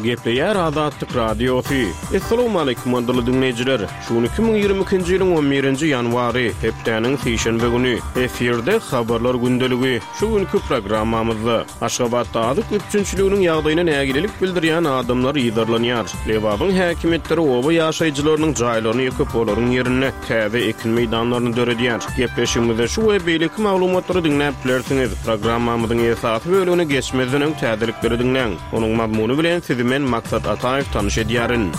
Gepleýär Azatlyk Radiosy. Essalawmaleýkim gadyrly diňleýjiler! Şu gün 2022-nji ýylyň on birinji ýanwary, hepdäniň sişenbe güni. Efirde Habarlar gündeligi. Şu günki programmamyzda, Aşgabatda azyk üpjünçiliginiň ýagdaýyna nägilelik bildirýän adamlar yzarlanýar. Lebabyň häkimiýetleri oba ýaşaýjylarynyň jaýlaryny ýykyp, olaryň ýerinde täze ekin meýdanlaryny döredýär. Gepleşigimizde şu we beýleki maglumatlary diňläp bilersiňiz. Programmamyzyň esasy bölegine geçmezden öň täzelikleri diňläň. Onuň mazmuny bilen sizi men Maksat Ataýew tanyş edýärin.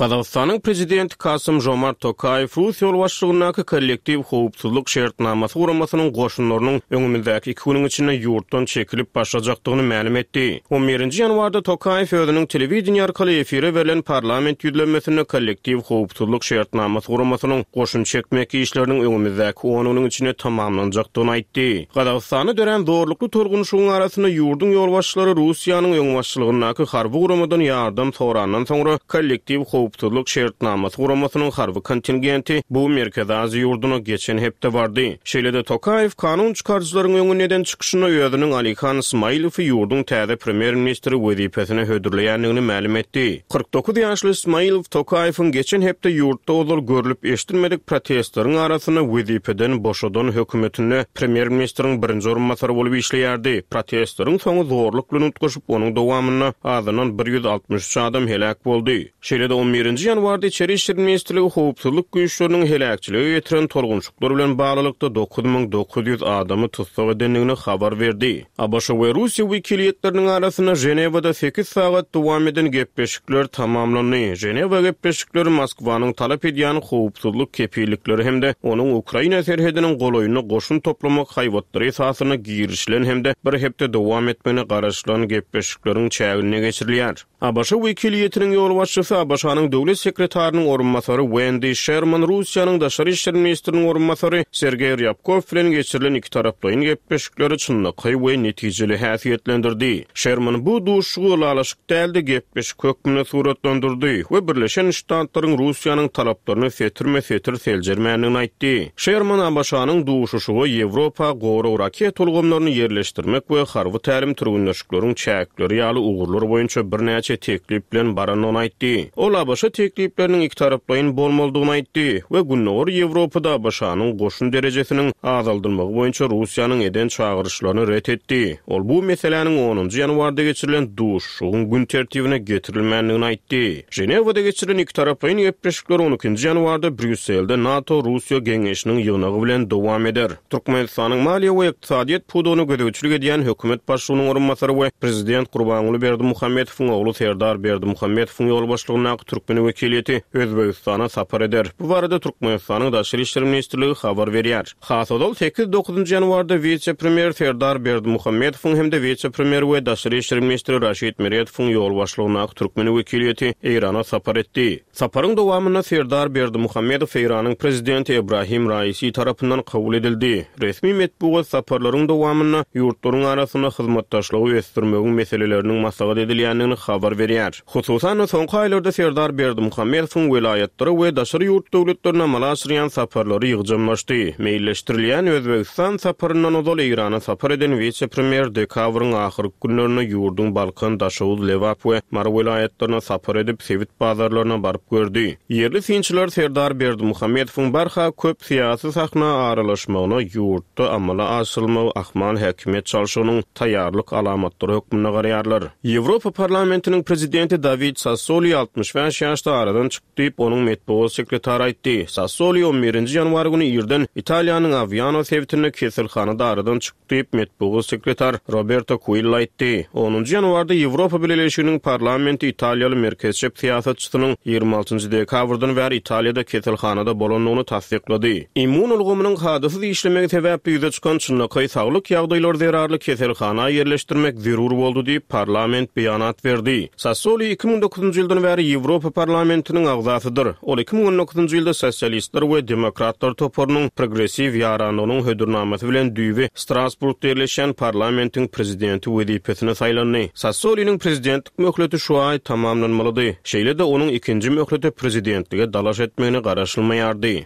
Gazagystanyň Prezidenti Kasym-Žomart Tokaýew rus ýolbaşçylygyndaky Kollektiw howpsuzlyk şertnamasy guramasynyň goşunlarynyň öňümizdäki iki günüň içinde ýurtdan çekilip başlajakdygyny mälim etdi. On birinji ýanwarda Tokaýew özüniň telewideniýe arkaly efire berlen parlament ýüzlenmesinde Kollektiw howpsuzlyk şertnamasy guramasynyň goşun çekmek işleriniň öňümizdäki on günüň içinde tamamlanjakdygyny aýtdy. Gazagystanda dörän zorlukly tolgunyşygyň arasynda ýurduň ýolbaşçylary Russiýanyň öňbaşçylygyndaky harby guramadan ýardam sorandan soňra Kollektiw howpsuzlyk şertnamasy guramasynyň harby kontingenti bu Merkezi Aziýa ýurduna geçen hepde bardy. Şeýle-de Tokaýew kanun çykaryjylaryň öňünde eden çykyşynda özüniň Alihan Smailowy ýurduň täze premýer-ministri wezipesine hödürleýändigini mälim etdi. 49 ýaşly Smailow Tokaýewiň geçen hepde ýurtda ozal görlüp-eşidilmedik protestleriň arasynda wezipeden boşadan hökümetinde premýer-ministriň birinji orunbasary bolup işleýärdi. Protestleriň soňy zorluk bilen utgaşyp, onuň dowamynda azyndan 163 adam heläk boldy. Şeýle-de on birinji ýanwarda Içeri işler ministrligi howpsuzlyk güýçleriniň heläkçilige getiren tolgunşyklar bilen baglylykda 9900 adamy tussag edendigini habar berdi. ABŞ we Russiýa wekiliýetleriniň arasynda Ženewada sekiz sagat dowam eden gepleşikler tamamlandy. Ženewa gepleşikleri Moskwanyň talap edýän howpsuzlyk kepillikleri hem-de onuň Ukraina serhediniň golaýynda goşun toplamak haýbatlary esasynda girişilen hem-de bir hepde dowam etmegine garaşylan gepleşikleriň çäginde geçirilýär. ABŞ wekiliýetiniň ýolbaşçysy, ABŞ-nyň Döwlet sekretarynyň orunbasary Wendi Şerman Russiýanyň daşary işler ministriniň orunbasary Sergeý Rýabkow bilen geçirilen ikitaraplaýyn gepleşikleri çynlakaý we netijeli häsiýetlendirdi. Şerman bu duşuşygy ylalaşyk däl-de, gepleşik hökmünde suratlandyrdy we Birleşen Ştatlaryň Russiýanyň talaplaryny setirme-setir seljermändigini aýtdy. Şerman ABŞ-nyň duşuşyga Ýewropa gorag raketa ulgamlaryny ýerleşdirmek we harby tälim-türgenleşikleriň çäkleri ýaly ugurlar boýunça birnäçe teklip bilen barandygyny aýtdy. Ol ABŞ teklipleriniň ikitaraplaýyn bolmalydygyny aýtdy we Gündogar Ýewropada ABŞ-nyň goşun derejesiniň azaldylmagy boýunça Russiýanyň eden çagyryşlaryny ret etdi. Ol bu meseläniň onunjy ýanwarda geçirilen duşuşygyň gün tertibine getirilmändigini aýtdy. Ženewada geçirilen ikitaraplaýyn gepleşikler on ikinji ýanwarda Brýusselde NATO-Russiýa geňeşiniň ýygnagy bilen dowam eder. Türkmenistanyň maliýe we ykdysadyýet pudagyna gözegçilik edýän hökümet başlygynyň orunbasary we prezident Gurbanguly Berdimuhamedowyň ogly Serdar Berdimuhamedowyň ýolbaşçylygyndaky türkmen wekiliýeti Özbegistana sapar eder. Bu barada Türkmenistanyň Daşary işler ministrligi habar berýär. Has ozal, sekiz-dokuzynjy ýanwarda wise-premýer Serdar Berdimuhamedowyň hem-de wise-premýer we daşary işler ministri Raşid Meredowyň ýolbaşçylygyndaky türkmen wekiliýeti Eýrana sapar etdi. Saparyň dowamynda Serdar Berdimuhamedow Eýranyň Prezidenti Ebrahim Raisi tarapyndan kabul edildi. Resmi metbugat saparlaryň dowamynda ýurtlaryň arasynda hyzmatdaşlygy ösdürmegiň meseleleriniň maslahat edilýändigini habar berýär. Hususan-da, soňky aýlarda Serdar Berdimuhamedowyň welaýatlara we daşary ýurt döwletlerine amala aşyrýan saparlary ýygjamlaşdy. Meýilleşdirilýän Özbegistan saparyndan ozal Eýrana sapar eden wise-premýer dekabryň ahyrky günlerinde ýurduň Balkan, Daşoguz, Lebap we Mary welaýatlaryna sapar edip, sebit bazarlaryna baryp gördi. Ýerli synçylar Serdar Berdimuhamedowyň barha köp syýasy sahna aralaşmagyna ýurtda amala aşyrylmagy ahmal häkimiýet çalşygynyň taýýarlyk alamatlary hökmünde garaýarlar. Ýewropa Parlamentiniň prezidenti Dawid Sassoli 65 ýaşda aradan çykdy diýip, onuň metbugat sekretary aýtdy. Sassoli on birinji ýanwar güni irden Italiýanyň Awiano sebitinde keselhanada aradan çykdy diýip, metbugat sekretar Roberto Kuilla aýtdy. Onunjy ýanwarda Ýewropa Bileleşiginiň Parlamenti italiýaly merkezçep syýasatçysynyň 26 dekabrdan bäri Italiýada keselhanada bolandygyny tassyklady. Immun ulgamynyň kadasyz işlemegi sebäpli ýüze çykan çynlakaý saglyk ýagdaýlary zerarly keselhana ýerleşdirmek zerur boldy diýip, parlament beýanat berdi. Sassoli 2009-njy ýyldan bäri Ýewropa Parlamentiniň agzasydyr. Ol 2019-njy ýylda Sosialistler we demokratlar toparynyň Progressiw ýaranlygynyň hödürnamasy bilen düýbi Strasburgda ýerleşýän parlamentiň prezidenti wezipesine saýlandy. Sassoliniň prezidentlik möhleti şu aý tamamlanmalydy. Şeýle-de, onuň ikinji möhlete prezidentlige dalaş etmegine garaşylmaýardy.